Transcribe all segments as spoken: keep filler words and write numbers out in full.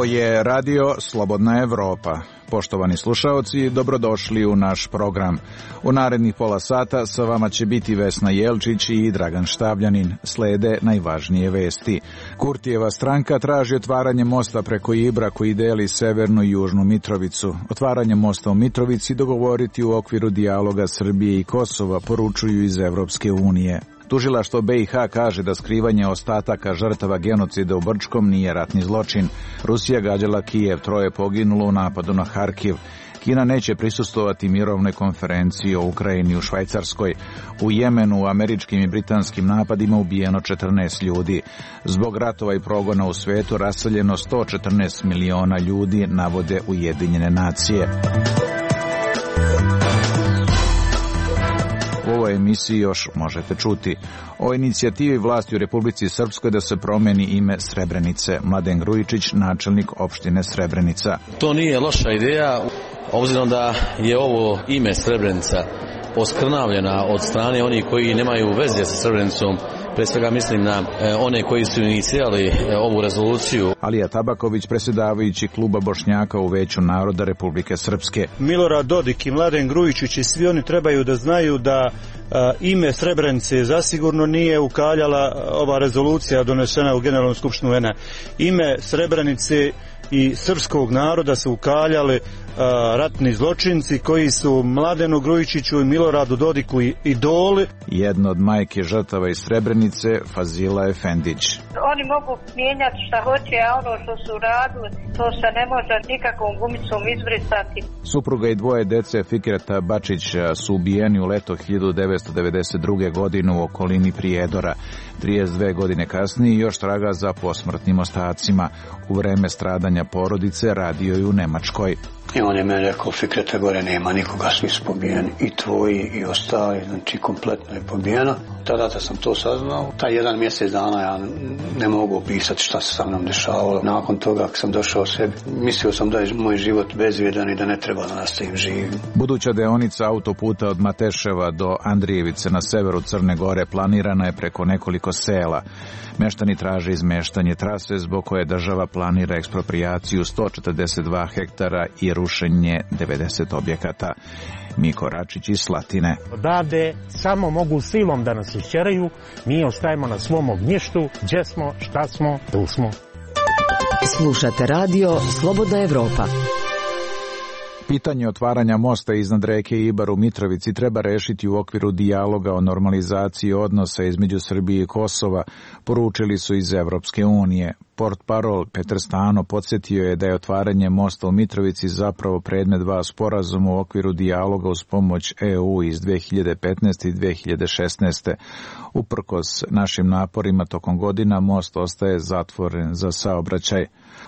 Ovo je radio Slobodna Evropa. Poštovani slušaoci, dobrodošli u naš program. U narednih pola sata sa vama će biti Vesna Jelčić i Dragan Štavljanin. Slede najvažnije vesti. Kurtijeva stranka traži otvaranje mosta preko Ibra koji deli severnu i južnu Mitrovicu. Otvaranje mosta u Mitrovici dogovoriti u okviru dijaloga Srbije i Kosova, poručuju iz Evropske unije. Tužilaštvo B i H kaže da skrivanje ostataka žrtava genocida u Brčkom nije ratni zločin. Rusija gađala Kijev, troje poginulo u napadu na Harkiv. Kina neće prisustvovati mirovnoj konferenciji o Ukrajini u Švajcarskoj. U Jemenu u američkim i britanskim napadima ubijeno četrnaest ljudi. Zbog ratova i progona u svetu raseljeno sto četrnaest miliona ljudi, navode Ujedinjene nacije. U ovoj emisiji još možete čuti o inicijativi vlasti u Republici Srpskoj da se promeni ime Srebrenice. Mladen Grujičić, načelnik opštine Srebrenica. To nije loša ideja, obzirom da je ovo ime Srebrenica oskrnavljena od strane onih koji nemaju veze sa Srebrenicom. Pre svega mislim na e, one koji su inicirali e, ovu rezoluciju. Alija Tabaković, predsjedavajući kluba Bošnjaka u Veću naroda Republike Srpske. Milorad Dodik i Mladen Grujičić i svi oni trebaju da znaju da a, ime Srebrenice zasigurno nije ukaljala ova rezolucija donesena u Generalnom skupštinu U N A. Ime Srebrenice i srpskog naroda su ukaljali a, ratni zločinci koji su Mladenu Grujičiću i Miloradu Dodiku idoli. Jedna od majke žrtava iz Srebrenice, Fazila Efendić. Oni mogu mijenjati šta hoće, a ono što su radili, to se ne može nikakvom gumicom izbrisati. Supruga i dvoje dece Fikreta Bačića su ubijeni u leto hiljadu devetsto devedeset druge. godine u okolini Prijedora. trideset dve godine kasnije još traga za posmrtnim ostacima. U vreme stradanja porodice radio je u Nemačkoj. I on je meni rekao, Fikreta, gore nema nikoga, svi su pobijeni, i tvoji i ostali, znači kompletno je pobijeno. Tada da sam to saznao, taj jedan mjesec dana ja ne mogu opisati šta se sa mnom dešavalo. Nakon toga, kad sam došao sebi, mislio sam da je moj život bezvrijedan i da ne treba da nastavim živim. Buduća deonica autoputa od Mateševa do Andrijevice na severu Crne Gore planirana je preko nekoliko sela. Meštani traže izmeštanje trase zbog koje država planira eksproprijaciju sto četrdeset dva hektara i rušenje devedeset objekata. Miko Račić iz Slatine. Odavde samo mogu silom da nas išćeraju, mi ostajemo na svom ognjištu, gdje smo, šta smo, tu smo. Slušate radio Slobodna Evropa. Pitanje otvaranja mosta iznad reke Ibar u Mitrovici treba rešiti u okviru dijaloga o normalizaciji odnosa između Srbije i Kosova, poručili su iz Evropske unije. Portparol Petar Stano podsjetio je da je otvaranje mosta u Mitrovici zapravo predmet dva sporazuma u okviru dijaloga uz pomoć E U iz dve hiljade petnaeste. i dve hiljade šesnaeste. Uprkos našim naporima tokom godina most ostaje zatvoren za saobraćaj.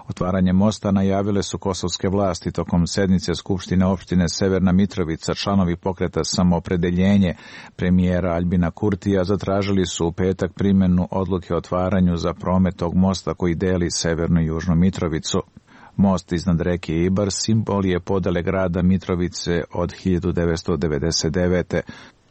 Otvaranje mosta najavile su kosovske vlasti tokom sednice Skupštine opštine Severna Mitrovica. Članovi pokreta Samoopredeljenje premijera Aljbina Kurtija zatražili su u petak primjenu odluke o otvaranju za promet tog mosta koji deli severnu i južnu Mitrovicu. Most iznad reke Ibar simbol je podele grada Mitrovice od hiljadu devetsto devedeset devete.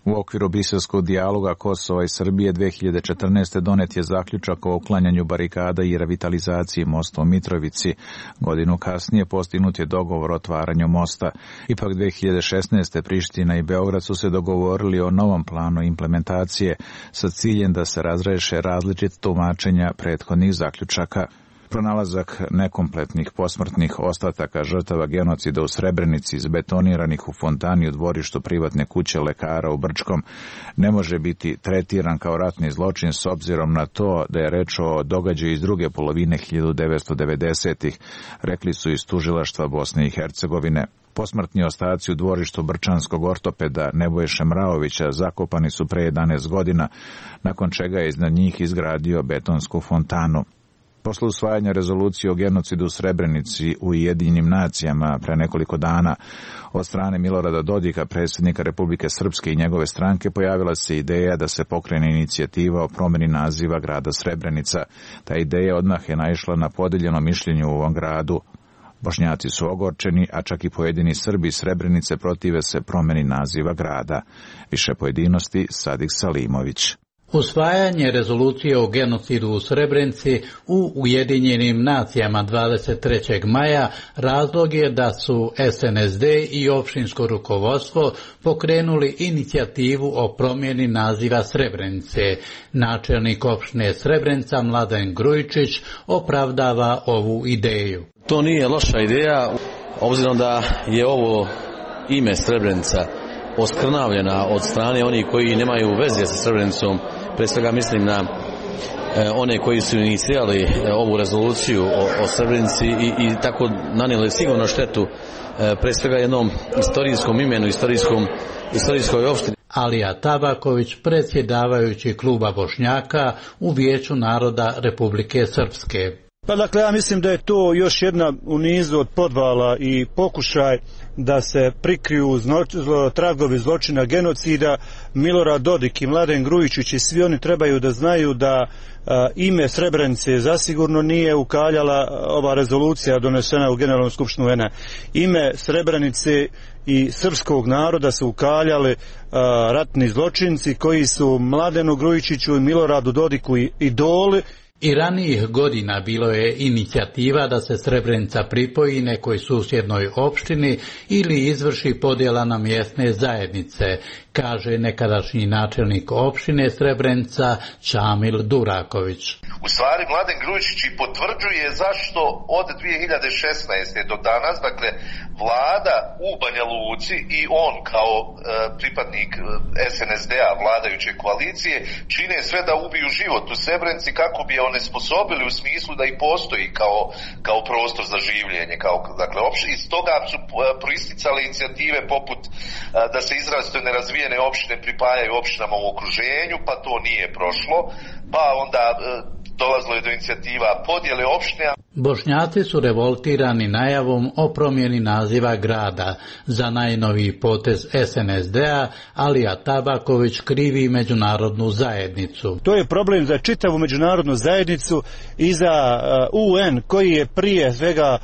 U okviru briselskog dijaloga Kosova i Srbije dve hiljade četrnaeste. donet je zaključak o uklanjanju barikada i revitalizaciji mosta u Mitrovici. Godinu kasnije postignut je dogovor o otvaranju mosta. Ipak dve hiljade šesnaeste. Priština i Beograd su se dogovorili o novom planu implementacije sa ciljem da se razreše različite tumačenja prethodnih zaključaka. Pronalazak nekompletnih posmrtnih ostataka žrtava genocida u Srebrenici izbetoniranih u fontani u dvorištu privatne kuće lekara u Brčkom ne može biti tretiran kao ratni zločin s obzirom na to da je reč o događaju iz druge polovine hiljadu devetsto devedesetih. rekli su iz tužilaštva Bosne i Hercegovine. Posmrtni ostaci u dvorištu brčanskog ortopeda Nebojše Mraovića zakopani su pre jedanaest godina, nakon čega je iznad njih izgradio betonsku fontanu. Posle usvajanja rezolucije o genocidu u Srebrenici u Ujedinjenim nacijama pre nekoliko dana od strane Milorada Dodika, predsjednika Republike Srpske i njegove stranke, pojavila se ideja da se pokrene inicijativa o promjeni naziva grada Srebrenica. Ta ideja odmah je naišla na podeljeno mišljenje u ovom gradu. Bošnjaci su ogorčeni, a čak i pojedini Srbi iz Srebrenice protive se promjeni naziva grada. Više pojedinosti Sadik Salimović. Usvajanje rezolucije o genocidu u Srebrenici u Ujedinjenim nacijama dvadeset trećeg maja razlog je da su S N S D i opštinsko rukovodstvo pokrenuli inicijativu o promjeni naziva Srebrenice. Načelnik opštine Srebrenica Mladen Grujičić opravdava ovu ideju. To nije loša ideja, obzirom da je ovo ime Srebrenica oskrnavljena od strane onih koji nemaju veze sa Srebrenicom. Pre svega mislim na e, one koji su inicirali e, ovu rezoluciju o, o Srebrenici i, i tako nanijeli sigurno štetu e, pre svega jednom istorijskom imenu, istorijskom, istorijskoj opštini. Alija Tabaković, predsjedavajući kluba Bošnjaka u Vijeću naroda Republike Srpske. Pa dakle, ja mislim da je to još jedna u nizu od podvala i pokušaj da se prikriju zno, zlo, tragovi zločina genocida. Milorad Dodik i Mladen Grujičić i svi oni trebaju da znaju da a, ime Srebrenice zasigurno nije ukaljala ova rezolucija donesena u Generalnom skupštinu U N A. Ime Srebrenice i srpskog naroda su ukaljali a, ratni zločinci koji su Mladenu Grujičiću i Miloradu Dodiku i idoli. I ranijih godina bilo je inicijativa da se Srebrenica pripoji nekoj susjednoj opštini ili izvrši podjela na mjesne zajednice, kaže nekadašnji načelnik opštine Srebrenica Čamil Duraković. U stvari Mladen Grujičić i potvrđuje zašto od dvije hiljade šesnaeste do danas, dakle, vlada u Banja Luci i on kao e, pripadnik S N S D-a vladajuće koalicije čine sve da ubiju život u Srebrenici kako bi je onesposobili u smislu da i postoji kao, kao prostor za življenje. Kao, dakle, opšte, iz toga su proisticale inicijative poput a, da se izrazito nerazvijene opštine pripajaju opštinama u okruženju, pa to nije prošlo, pa onda a, dolazilo je do inicijativa podjele opštine. Bošnjaci su revoltirani najavom o promjeni naziva grada. Za najnoviji potez S N S D-a Alija Tabaković krivi međunarodnu zajednicu. To je problem za čitavu međunarodnu zajednicu i za U N koji je prije svega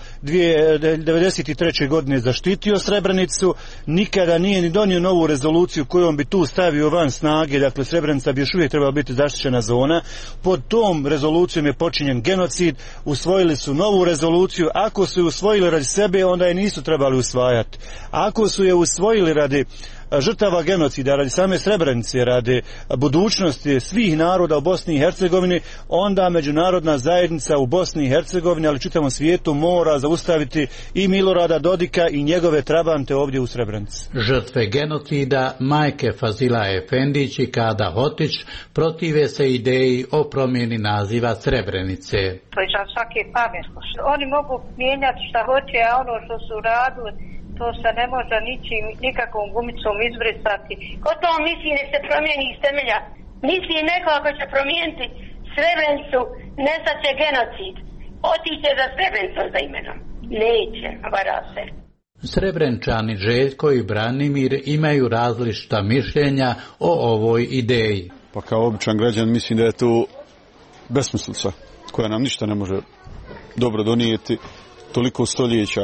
devedeset treće godine zaštitio Srebrenicu, nikada nije ni donio novu rezoluciju kojom bi tu stavio van snage, dakle Srebrenica bi još uvijek trebala biti zaštićena zona. Pod tom rezolucijom je počinjen genocid, usvojili su novu rezoluciju. Ako su je usvojili radi sebe, onda je nisu trebali usvajati. Ako su je usvojili radi žrtava genocida, radi same Srebrenice, radi budućnosti svih naroda u Bosni i Hercegovini, onda međunarodna zajednica u Bosni i Hercegovini, ali čitavom svijetu, mora zaustaviti i Milorada Dodika i njegove trabante ovdje u Srebrenici. Žrtve genocida, majke Fazila Efendić i Kada Hotić, protive se ideji o promjeni naziva Srebrenice. To je svaki pamet. Oni mogu mijenjati šta hoće, a ono što su radili, to se ne može ničim, nikakvom gumicom izbrisati. Ko to misli da se promijeni iz temelja? Misli neko ako će promijeniti Srebrenicu, nestat će genocid. Otiće za Srebrenicu za imenom. Neće, vara se. Srebrenčani Željko i Branimir imaju različita mišljenja o ovoj ideji. Pa kao običan građan mislim da je to besmislica koja nam ništa ne može dobro donijeti. Toliko stoljeća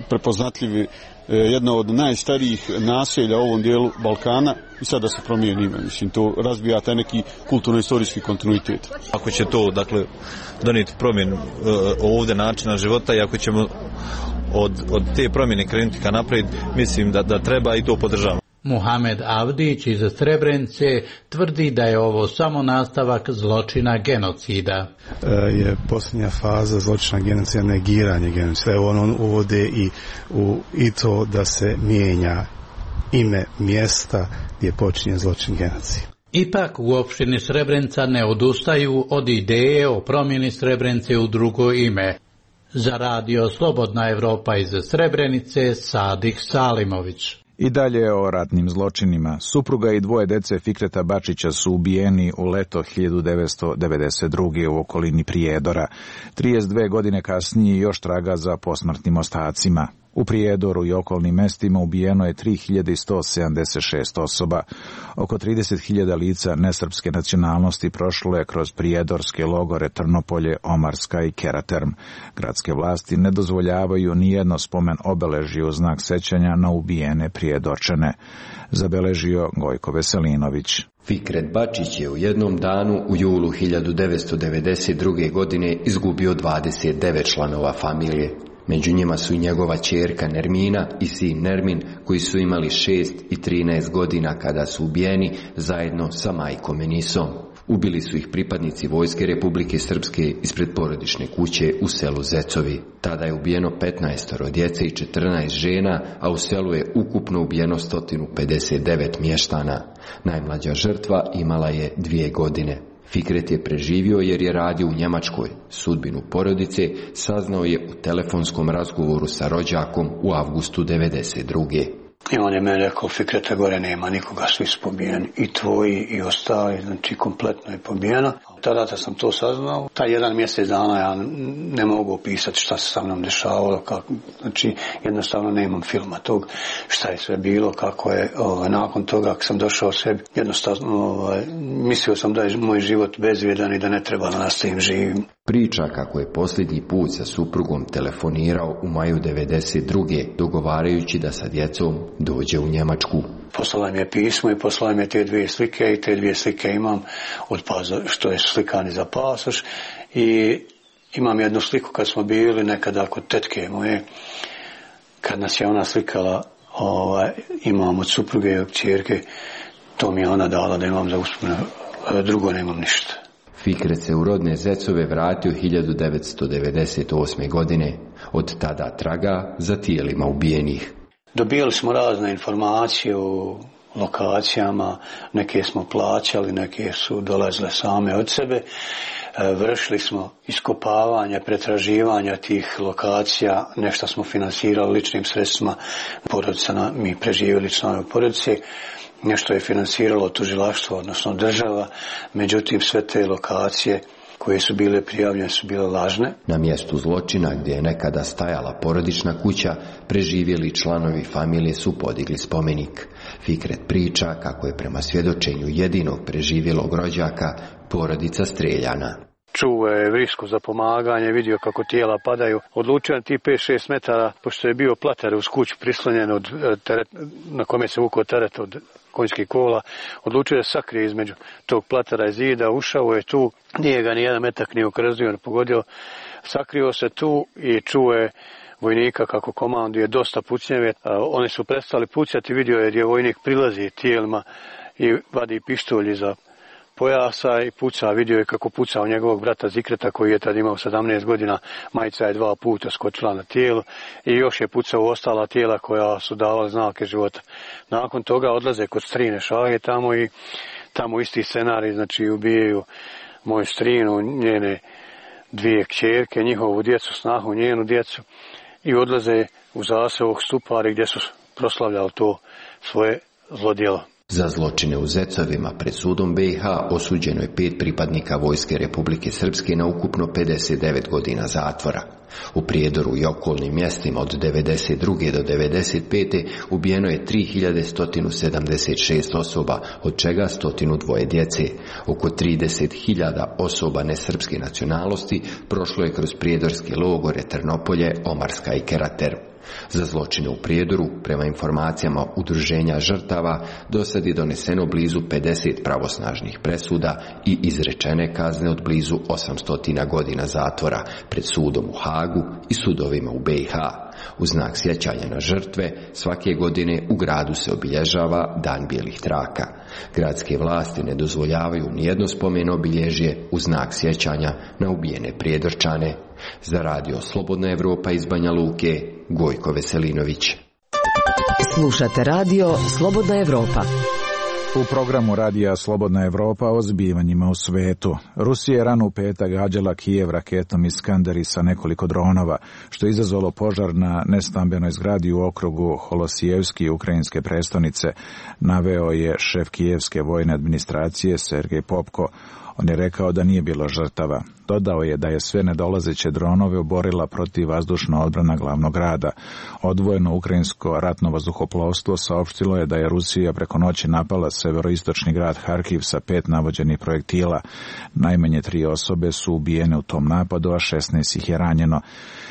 prepoznatljivi, jedna od najstarijih naselja u ovom dijelu Balkana i sada se promijeni ime. Mislim, to razbija taj neki kulturno-istorijski kontinuitet. Ako će to, dakle, donijeti promjenu ovdje načina života i ako ćemo od, od te promjene krenuti ka naprijed, mislim da, da treba i to podržavamo. Muhamed Avdić iz Srebrenice tvrdi da je ovo samo nastavak zločina genocida. Je posljednja faza zločina genocida negiranje genocida. Evo on uvode i, u, i to da se mijenja ime mjesta gdje počinje zločin genocida. Ipak u opštini Srebrenica ne odustaju od ideje o promjeni Srebrenice u drugo ime. Za radio Slobodna Evropa iz Srebrenice, Sadik Salimović. I dalje o ratnim zločinima. Supruga i dvoje dece Fikreta Bačića su ubijeni u leto hiljadu devetsto devedeset druge u okolini Prijedora. trideset dve godine kasnije još traga za posmrtnim ostacima. U Prijedoru i okolnim mestima ubijeno je tri hiljade sto sedamdeset šest osoba. Oko trideset hiljada lica nesrpske nacionalnosti prošlo je kroz prijedorske logore Trnopolje, Omarska i Keraterm. Gradske vlasti ne dozvoljavaju nijedno spomen obeležje u znak sećanja na ubijene Prijedorčane. Zabeležio Gojko Veselinović. Fikret Bačić je u jednom danu u julu hiljadu devetsto devedeset druge. godine izgubio dvadeset devet članova familije. Među njima su i njegova ćerka Nermina i sin Nermin, koji su imali šest i trinaest godina kada su ubijeni zajedno sa majkom Enisom. Ubili su ih pripadnici Vojske Republike Srpske ispred porodične kuće u selu Zecovi. Tada je ubijeno petnaest djece i četrnaest žena, a u selu je ukupno ubijeno sto pedeset devet mještana. Najmlađa žrtva imala je dvije godine. Fikret je preživio jer je radio u Njemačkoj. Sudbinu porodice saznao je u telefonskom razgovoru sa rođakom u avgustu devedeset druge. I on je meni rekao, Fikreta, gore nema nikoga, svi su pobijeni, i tvoji i ostali, znači kompletno je pobijena. Tada da sam to saznao, taj jedan mjesec dana ja ne mogu opisati šta se sa mnom dešavalo, kako, znači jednostavno nemam filma tog šta je sve bilo, kako je, ovaj, nakon toga kad sam došao sebi, jednostavno ovaj, mislio sam da je moj život bezvrijedan i da ne treba da nastavim živim. Priča kako je posljednji put sa suprugom telefonirao u maju devedeset druge. dogovarajući da sa djecom dođe u Njemačku. Poslala mi je pismo i poslala mi je te dvije slike i te dvije slike imam od paza, što je slikani za pasoš, i imam jednu sliku kad smo bili nekada kod tetke moje, kad nas je ona slikala, ovaj, imam od supruge i od ćerke, to mi je ona dala da imam za uspomenu, drugo nemam ništa. Fikret se u rodne Zecove vratio hiljadu devetsto devedeset osme. godine. Od tada traga za tijelima ubijenih. Dobijali smo razne informacije o lokacijama, neke smo plaćali, neke su dolazile same od sebe. Vršili smo iskopavanja, pretraživanja tih lokacija, nešto smo finansirali ličnim sredstvima porodica, mi preživjeli članovi porodice. Nešto je finansiralo tužilaštvo, odnosno država, međutim sve te lokacije koje su bile prijavljene su bile lažne. Na mjestu zločina gdje je nekada stajala porodična kuća, preživjeli članovi familije su podigli spomenik. Fikret priča kako je prema svjedočenju jedinog preživjelog rođaka porodica streljana. Čuo je vrisku za pomaganje, vidio kako tijela padaju. Odlučio na ti pet šest metara, pošto je bio plater uz kuću prislonjen od teret, na kome se vukao teret od konjskih kola, odlučio da sakrije između tog platera i zida, ušao je tu, nije ga ni jedan metak ni okrzio, ni pogodio, sakrio se tu i čuo je vojnika kako komanduje dosta pucnjeve. Oni su prestali pucati, vidio je gdje vojnik prilazi tijelima i vadi pištolj iza pojasa i puca, vidio je kako puca u njegovog brata Zikreta koji je tad imao sedamnaest godina, majica je dva puta skočila na tijelo i još je pucao u ostala tijela koja su davala znake života. Nakon toga odlaze kod strine Šage tamo i tamo isti scenarij, znači ubijaju moju strinu, njene dvije kćerke, njihovu djecu, snahu, njenu djecu i odlaze u zaseok Stupari gdje su proslavljali to svoje zlodjelo. Za zločine u Zecovima pred sudom B i H osuđeno je pet pripadnika Vojske Republike Srpske na ukupno pedeset devet godina zatvora. U Prijedoru i okolnim mjestima od devedeset druge do devedeset pete ubijeno je tri hiljade sto sedamdeset šest osoba, od čega sto dva djece. Oko trideset hiljada osoba nesrpske nacionalnosti prošlo je kroz prijedorske logore Trnopolje, Omarska i Kerater. Za zločine u Prijedoru, prema informacijama udruženja žrtava, do sad je doneseno blizu pedeset pravosnažnih presuda i izrečene kazne od blizu osamsto godina zatvora pred sudom u Hagu i sudovima u B i H. U znak sjećanja na žrtve, svake godine u gradu se obilježava Dan bijelih traka. Gradske vlasti ne dozvoljavaju nijedno spomen obilježje u znak sjećanja na ubijene Prijedorčane. Za radio Slobodna Evropa iz Banja Luke, Gojko Veselinović. Slušate radio Slobodna Evropa. U programu radija Slobodna Evropa o zbivanjima u svetu. Rusija je rano u petak gađala Kijev raketom Iskanderi sa nekoliko dronova, što je izazvalo požar na nestambenoj zgradi u okrugu Holosijevski ukrajinske prestonice, naveo je šef kijevske vojne administracije Sergej Popko. On je rekao da nije bilo žrtava. Dodao je da je sve nedolazeće dronove oborila protivvazdušna odbrana glavnog grada. Odvojeno ukrajinsko ratno vazduhoplovstvo saopštilo je da je Rusija preko noći napala severoistočni grad Harkiv sa pet navođenih projektila. Najmanje tri osobe su ubijene u tom napadu, a šesnaest ih je ranjeno.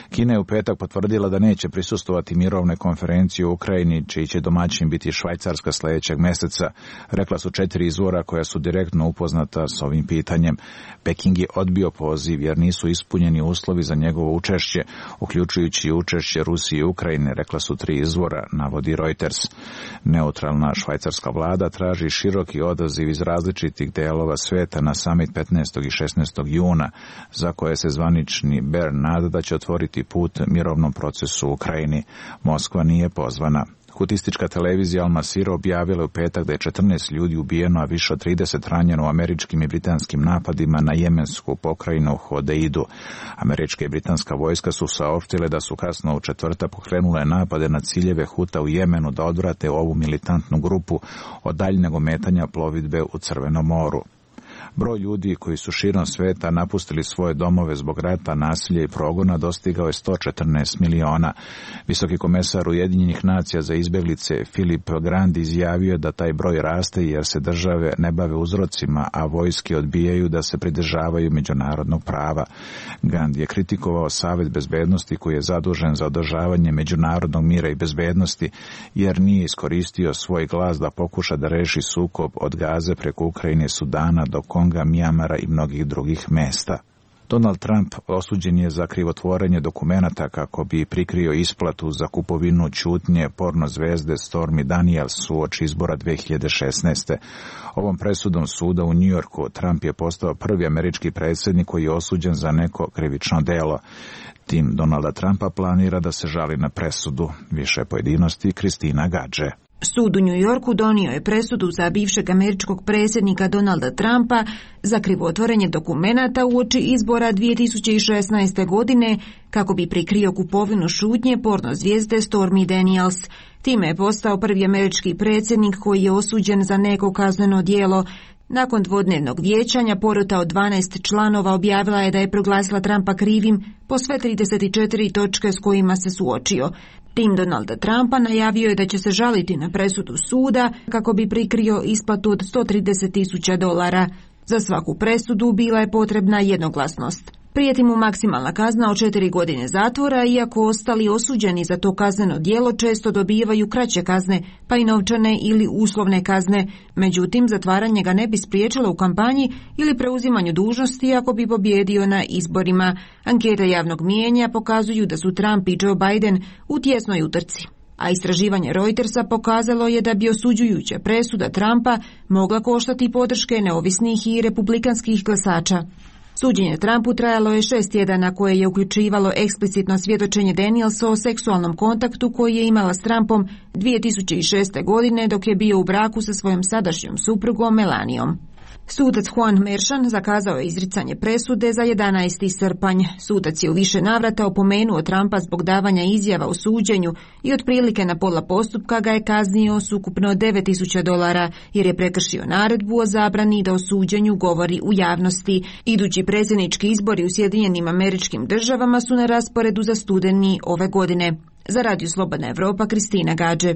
Kina je u petak potvrdila da neće prisustvovati mirovnoj konferenciji u Ukrajini, čiji će domaćin biti Švajcarska sljedećeg mjeseca, rekla su četiri izvora koja su direktno upoznata s ovim pitanjem. Peking je odbio poziv jer nisu ispunjeni uslovi za njegovo učešće, uključujući učešće Rusije i Ukrajine, rekla su tri izvora, navodi Reuters. Neutralna švajcarska vlada traži široki odaziv iz različitih delova sveta na summit petnaestog i šesnaestog juna, za koje se zvanični Bern nada da će otvoriti put mirovnom procesu u Ukrajini. Moskva nije pozvana. Hutistička televizija Al Masira objavila u petak da je četrnaest ljudi ubijeno, a više od trideset ranjeno u američkim i britanskim napadima na jemensku pokrajinu Hodeidu. Američka i britanska vojska su saopštile da su kasno u četvrtak pokrenule napade na ciljeve Huta u Jemenu da odvrate ovu militantnu grupu od daljnjeg ometanja plovidbe u Crvenom moru. Broj ljudi koji su širom sveta napustili svoje domove zbog rata, nasilja i progona dostigao je sto četrnaest miliona. Visoki komesar Ujedinjenih nacija za izbjeglice Filip Grandi izjavio da taj broj raste jer se države ne bave uzrocima, a vojske odbijaju da se pridržavaju međunarodnog prava. Grandi je kritikovao Savet bezbednosti koji je zadužen za održavanje međunarodnog mira i bezbednosti jer nije iskoristio svoj glas da pokuša da reši sukob od Gaze preko Ukrajine, Sudana do Konga, Mijamara i mnogih drugih mesta. Donald Trump osuđen je za krivotvorenje dokumenata kako bi prikrio isplatu za kupovinu ćutnje porno zvezde Stormy Daniels uoči izbora dve hiljade šesnaeste. Ovom presudom suda u Njujorku Trump je postao prvi američki predsjednik koji je osuđen za neko krivično delo. Tim Donalda Trumpa planira da se žali na presudu. Više pojedinosti Kristina Gadže. Sud u New Yorku donio je presudu za bivšeg američkog predsjednika Donalda Trumpa za krivotvorenje dokumenata uoči izbora dvije tisuće šesnaeste. godine kako bi prikrio kupovinu šutnje porno zvijezde Stormy Daniels. Time je postao prvi američki predsjednik koji je osuđen za neko kazneno djelo. Nakon dvodnevnog vijećanja porota od dvanaest članova objavila je da je proglasila Trumpa krivim po sve trideset četiri točke s kojima se suočio. Tim Donalda Trumpa najavio je da će se žaliti na presudu suda kako bi prikrio isplatu od sto trideset tisuća dolara. Za svaku presudu bila je potrebna jednoglasnost. Prijeti mu maksimalna kazna od četiri godine zatvora, iako ostali osuđeni za to kazneno djelo često dobivaju kraće kazne, pa i novčane ili uslovne kazne. Međutim, zatvaranje ga ne bi spriječilo u kampanji ili preuzimanju dužnosti ako bi pobjedio na izborima. Ankete javnog mijenja pokazuju da su Trump i Joe Biden u tjesnoj utrci. A istraživanje Reutersa pokazalo je da bi osuđujuća presuda Trumpa mogla koštati podrške neovisnih i republikanskih glasača. Suđenje Trumpu trajalo je šest tjedana koje je uključivalo eksplicitno svjedočenje Danielsa o seksualnom kontaktu koji je imala s Trumpom dvije tisuće šeste. godine dok je bio u braku sa svojom sadašnjom suprugom Melanijom. Sudac Juan Merchan zakazao je izricanje presude za jedanaesti srpanj. Sudac je u više navrata opomenuo Trumpa zbog davanja izjava o suđenju i otprilike na pola postupka ga je kaznio s ukupno devet tisuća dolara jer je prekršio naredbu o zabrani da o suđenju govori u javnosti. Idući predsjednički izbori u Sjedinjenim Američkim Državama su na rasporedu za studeni ove godine. Za Radio Slobodna Evropa, Kristina Gadže.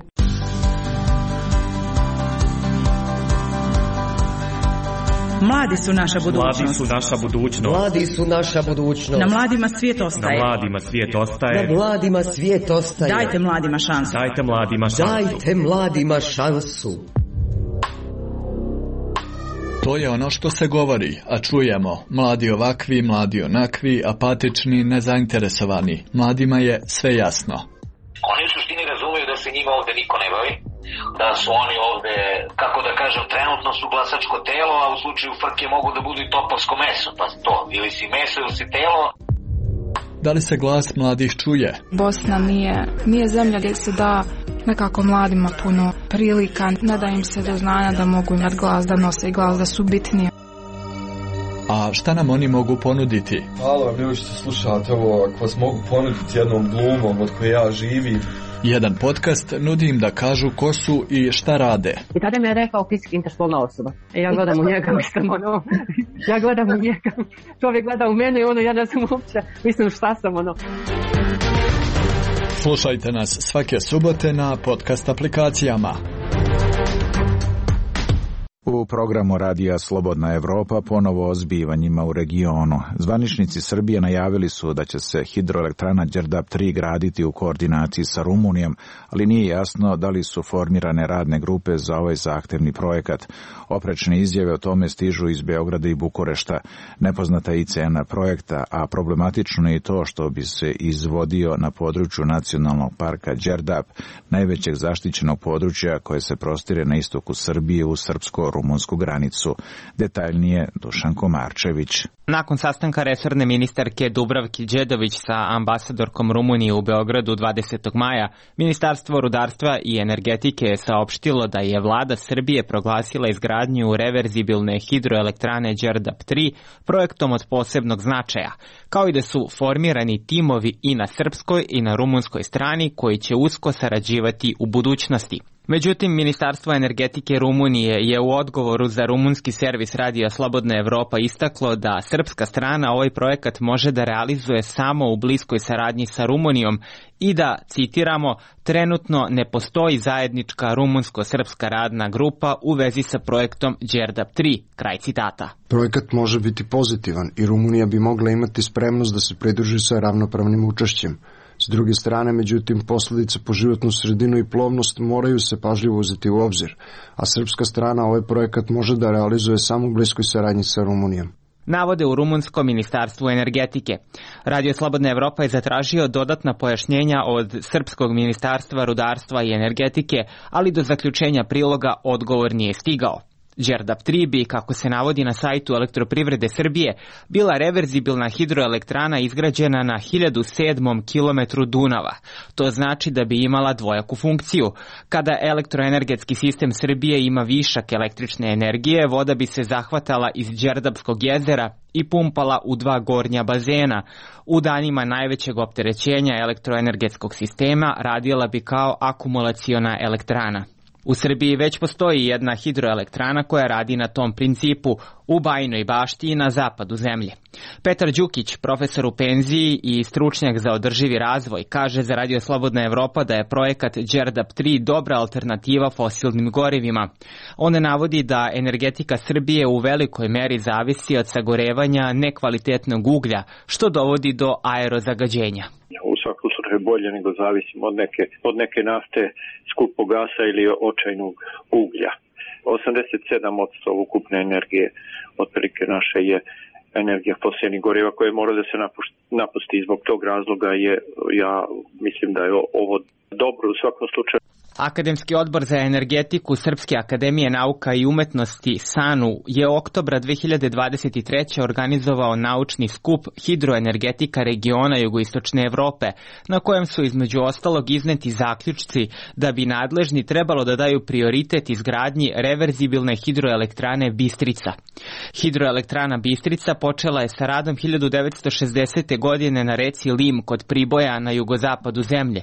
Mladi su naša budućnost. Mladi su naša budućnost. Mladi su naša budućnost. Na mladima svijet ostaje. Na mladima svijet ostaje. Na mladima svijet ostaje. Dajte mladima šansu. Dajte mladima šansu. Dajte mladima šansu. To je ono što se govori, a čujemo. Mladi ovakvi, mladi onakvi, apatični, nezainteresovani. Mladima je sve jasno. Oni u suštini razumiju da se njima ovde niko ne bavi, da su oni ovde, kako da kažem, trenutno su glasačko telo, a u slučaju frke mogu da budu i topovsko meso, pa to, ili si meso ili si telo. Da li se glas mladih čuje? Bosna nije, nije zemlja gdje se da nekako mladima puno prilika, ne da im se do znanja da mogu imati glas, da nose i glas, da su bitnije. A šta nam oni mogu ponuditi? Hvala vam ljudi što slušate ovo, ako vas mogu ponuditi jednom glumom od koje ja živim. Jedan podcast nudi im da kažu ko su i šta rade. I tada mi je rekao fizički interspolna osoba. I ja gledam u njega, mislim, ono, ja gledam u njega, čovjek gleda u mene i ono, ja ne znam uopće, mislim šta sam, ono. Slušajte nas svake subote na podcast aplikacijama. U programu Radija Slobodna Evropa ponovo o zbivanjima u regionu. Zvaničnici Srbije najavili su da će se hidroelektrana Đerdap tri graditi u koordinaciji sa Rumunijom, ali nije jasno da li su formirane radne grupe za ovaj zahtevni projekat. Oprečne izjave o tome stižu iz Beograda i Bukurešta. Nepoznata je i cena projekta, a problematično je i to što bi se izvodio na području nacionalnog parka Đerdap, najvećeg zaštićenog područja koje se prostire na istoku Srbije u srpsko-rumunsku granicu. Detaljnije Dušan Komarčević. Nakon sastanka resorne ministarke Dubravki Đedović sa ambasadorkom Rumunije u Beogradu dvadesetog maja, Ministarstvo rudarstva i energetike je saopštilo da je vlada Srbije proglasila izgradnju reverzibilne hidroelektrane Đerdap tri projektom od posebnog značaja, kao i da su formirani timovi i na srpskoj i na rumunskoj strani koji će usko sarađivati u budućnosti. Međutim, Ministarstvo energetike Rumunije je u odgovoru za rumunski servis Radija Slobodna Evropa istaklo da srpska strana ovaj projekat može da realizuje samo u bliskoj saradnji sa Rumunijom i da, citiramo, trenutno ne postoji zajednička rumunsko-srpska radna grupa u vezi sa projektom Đerdap tri, kraj citata. Projekat može biti pozitivan i Rumunija bi mogla imati spremnost da se pridruži sa ravnopravnim učešćem. S druge strane, međutim, posljedice po životnu sredinu i plovnost moraju se pažljivo uzeti u obzir, a srpska strana ovaj projekat može da realizuje samo u bliskoj saradnji sa Rumunijom. Navode u rumunskom ministarstvu energetike. Radio Slobodna Evropa je zatražio dodatna pojašnjenja od srpskog ministarstva rudarstva i energetike, ali do zaključenja priloga odgovor nije stigao. Đerdap tri bi, kako se navodi na sajtu Elektroprivrede Srbije, bila reverzibilna hidroelektrana izgrađena na hiljadu sedmom kilometru Dunava. To znači da bi imala dvojaku funkciju. Kada elektroenergetski sistem Srbije ima višak električne energije, voda bi se zahvatala iz Đerdapskog jezera i pumpala u dva gornja bazena. U danima najvećeg opterećenja elektroenergetskog sistema radila bi kao akumulaciona elektrana. U Srbiji već postoji jedna hidroelektrana koja radi na tom principu u Bajinoj Bašti i na zapadu zemlje. Petar Đukić, profesor u penziji i stručnjak za održivi razvoj, kaže za Radio Slobodna Evropa da je projekat Đerdap tri dobra alternativa fosilnim gorivima. On navodi da energetika Srbije u velikoj meri zavisi od sagorevanja nekvalitetnog uglja, što dovodi do aerozagađenja. U svakom slučaju bolje nego zavisimo od neke, od neke nafte, skupog gasa ili očajnog uglja. osamdeset sedam posto ukupne energije otprilike naše je energija fosilnih goriva koje mora da se napusti. Zbog tog razloga je, ja mislim da je ovo dobro u svakom slučaju. Akademski odbor za energetiku Srpske akademije nauka i umetnosti SANU je oktobra dve hiljade dvadeset treće. organizovao naučni skup Hidroenergetika regiona jugoistočne Evrope, na kojem su između ostalog izneti zaključci da bi nadležni trebalo da daju prioritet izgradnji reverzibilne hidroelektrane Bistrica. Hidroelektrana Bistrica počela je sa radom hiljadu devetsto šezdesete. godine na reci Lim kod Priboja na jugozapadu zemlje.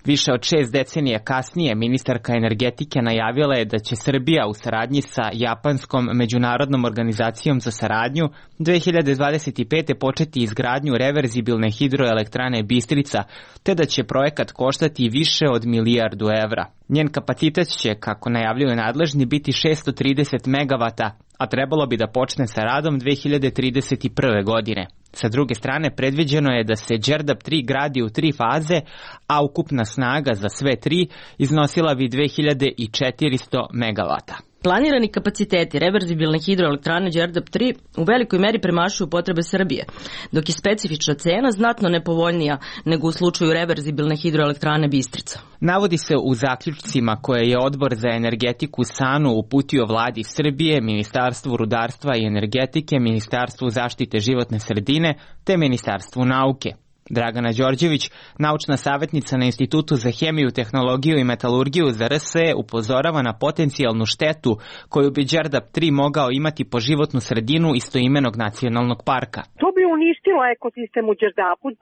Više od šest decenija kasnije ministarka energetike najavila je da će Srbija u saradnji sa Japanskom međunarodnom organizacijom za saradnju dve hiljade dvadeset pete. početi izgradnju reverzibilne hidroelektrane Bistrica, te da će projekat koštati više od milijardu evra. Njen kapacitet će, kako najavljuju nadležni, biti šesto trideset megavata, a trebalo bi da počne sa radom dve hiljade trideset prve. godine. Sa druge strane, predviđeno je da se Đerdap tri gradi u tri faze, a ukupna snaga za sve tri iznosila bi dve hiljade četiristo megavata. Planirani kapaciteti reverzibilne hidroelektrane Đerdap tri u velikoj meri premašuju potrebe Srbije, dok je specifična cena znatno nepovoljnija nego u slučaju reverzibilne hidroelektrane Bistrica. Navodi se u zaključcima koje je Odbor za energetiku SANU uputio vladi Srbije, Ministarstvu rudarstva i energetike, Ministarstvu zaštite životne sredine te Ministarstvu nauke. Dragana Đorđević, naučna savjetnica na Institutu za hemiju, tehnologiju i metalurgiju za R S E, upozorava na potencijalnu štetu koju bi Đerdap tri mogao imati po životnu sredinu istoimenog nacionalnog parka. To bi uništilo ekosistem u Đerdapu. A,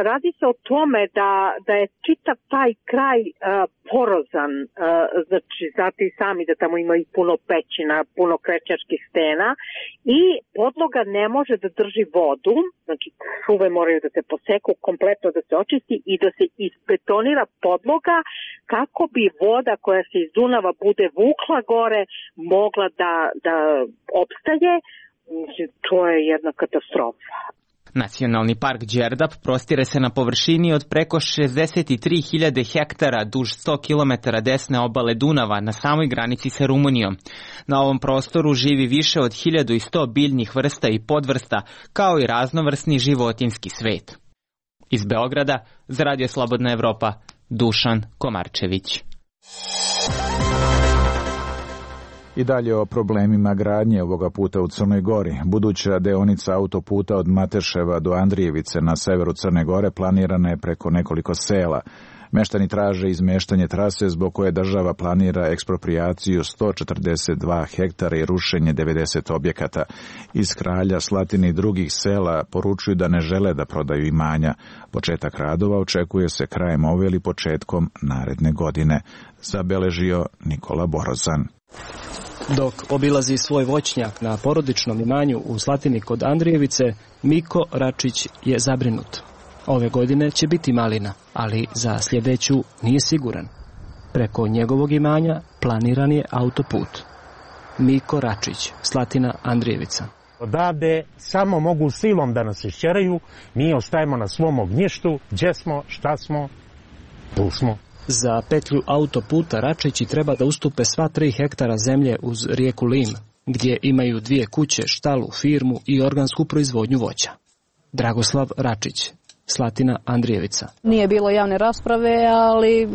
radi se o tome da, da je čitav taj kraj a, porozan, a, znači znate i sami da tamo ima i puno pećina, puno krečačkih stena i podloga ne može da drži vodu, znači šume moraju da se poseku, kompletno da se očisti i da se isbetonira podloga kako bi voda koja se iz Dunava bude vukla gore mogla da, da opstaje. To je jedna katastrofa. Nacionalni park Đerdap prostire se na površini od preko šezdeset tri hiljade hektara duž sto kilometara desne obale Dunava na samoj granici sa Rumunijom. Na ovom prostoru živi više od hiljadu sto biljnih vrsta i podvrsta, kao i raznovrsni životinjski svet. Iz Beograda, za Radio Slobodna Evropa, Dušan Komarčević. I dalje o problemima gradnje ovoga puta u Crnoj Gori. Buduća deonica autoputa od Mateševa do Andrijevice na severu Crne Gore planirana je preko nekoliko sela. Meštani traže izmeštanje trase zbog koje država planira eksproprijaciju sto četrdeset dva hektara i rušenje devedeset objekata. Iz Kralja, Slatine i drugih sela poručuju da ne žele da prodaju imanja. Početak radova očekuje se krajem ove ili početkom naredne godine, zabeležio Nikola Borozan. Dok obilazi svoj voćnjak na porodičnom imanju u Slatini kod Andrijevice, Miko Račić je zabrinut. Ove godine će biti malina, ali za sljedeću nije siguran. Preko njegovog imanja planiran je autoput. Miko Račić, Slatina, Andrijevica. Odavde samo mogu silom da nas išćeraju, mi ostajemo na svom ognjištu, gdje smo, šta smo, tu smo. Za petlju autoputa Račići treba da ustupe sva tri hektara zemlje uz rijeku Lim, gdje imaju dvije kuće, štalu, firmu i organsku proizvodnju voća. Dragoslav Račić, Slatina, Andrijevica. Nije bilo javne rasprave, ali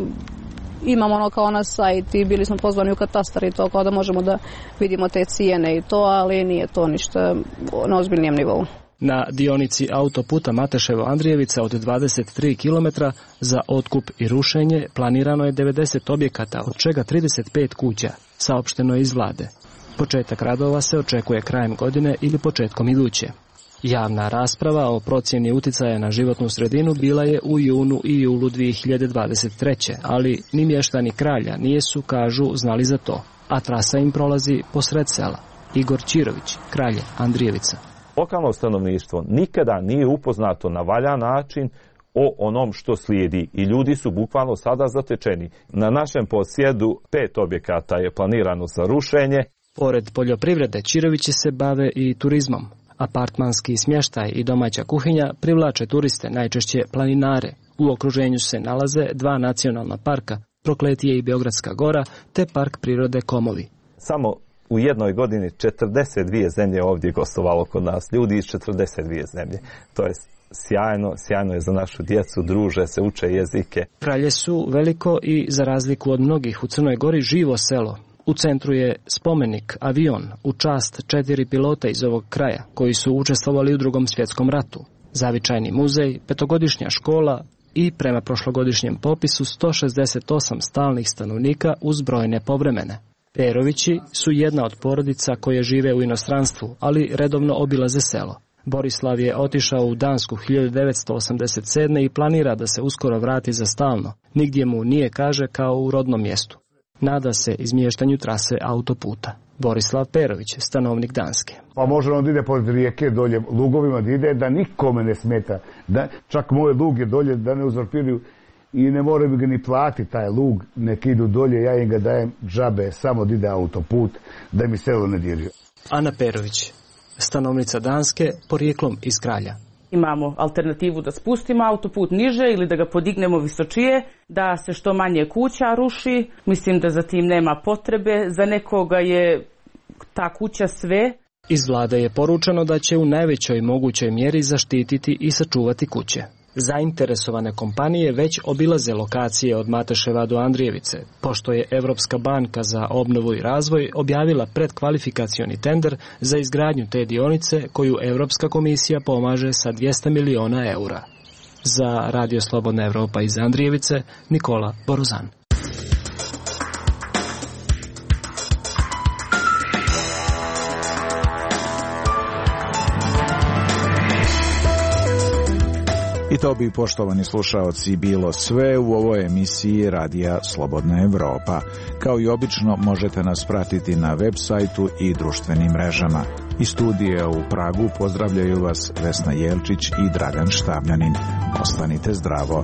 imamo ono kao na sajt i bili smo pozvani u katastar i to kao da možemo da vidimo te cijene i to, ali nije to ništa na ozbiljnijem nivou. Na dionici autoputa Mateševo-Andrijevica od dvadeset tri kilometra za otkup i rušenje planirano je devedeset objekata, od čega trideset pet kuća, saopšteno je iz vlade. Početak radova se očekuje krajem godine ili početkom iduće. Javna rasprava o procjeni uticaja na životnu sredinu bila je u junu i julu dvije hiljade dvadeset treće. ali ni mještani Kralja nijesu, kažu, znali za to, a trasa im prolazi posred sela. Igor Čirović, Kralje, Andrijevica. Lokalno stanovništvo nikada nije upoznato na valjan način o onom što slijedi i ljudi su bukvalno sada zatečeni. Na našem posjedu pet objekata je planirano za rušenje. Pored poljoprivrede, Čirovići se bave i turizmom. Apartmanski smještaj i domaća kuhinja privlače turiste, najčešće planinare. U okruženju se nalaze dva nacionalna parka, Prokletije i Beogradska gora, te park prirode Komovi. Samo u jednoj godini četrdeset dvije zemlje ovdje gostovalo kod nas, ljudi iz četrdeset dvije zemlje. To je sjajno, sjajno je za našu djecu, druže se, uče jezike. Kralje su veliko i, za razliku od mnogih u Crnoj Gori, živo selo. U centru je spomenik, avion, u čast četiri pilota iz ovog kraja, koji su učestvovali u Drugom svjetskom ratu. Zavičajni muzej, petogodišnja škola i, prema prošlogodišnjem popisu, sto šezdeset osam stalnih stanovnika uz brojne povremene. Perovići su jedna od porodica koje žive u inostranstvu, ali redovno obilaze selo. Borislav je otišao u Dansku hiljadu devetsto osamdeset sedme. i planira da se uskoro vrati za stalno. Nigdje mu nije, kaže, kao u rodnom mjestu. Nada se izmještanju trase autoputa. Borislav Perović, stanovnik Danske. Pa može on da ide pored rijeke dolje lugovima, da ide da nikome ne smeta. Da, čak moje luge dolje da ne uzurpiraju i ne moraju mi ga ni platiti taj lug, nek idu dolje, ja im ga dajem džabe, samo da ide autoput, da mi selo ne diraju. Ana Perović, stanovnica Danske, porijeklom iz Kralja. Imamo alternativu da spustimo autoput niže ili da ga podignemo visočije, da se što manje kuća ruši. Mislim da za tim nema potrebe, za nekoga je ta kuća sve. Iz vlade je poručeno da će u najvećoj mogućoj mjeri zaštititi i sačuvati kuće. Zainteresovane kompanije već obilaze lokacije od Mateševa do Andrijevice, pošto je Evropska banka za obnovu i razvoj objavila predkvalifikacioni tender za izgradnju te dionice koju Evropska komisija pomaže sa dvjesto miliona eura. Za Radio Slobodna Evropa iz Andrijevice, Nikola Boruzan. I to bi, poštovani slušaoci, bilo sve u ovoj emisiji Radija Slobodna Evropa. Kao i obično, možete nas pratiti na web sajtu i društvenim mrežama. Iz studija u Pragu pozdravljaju vas Vesna Jelčić i Dragan Štavljanin. Ostanite zdravo.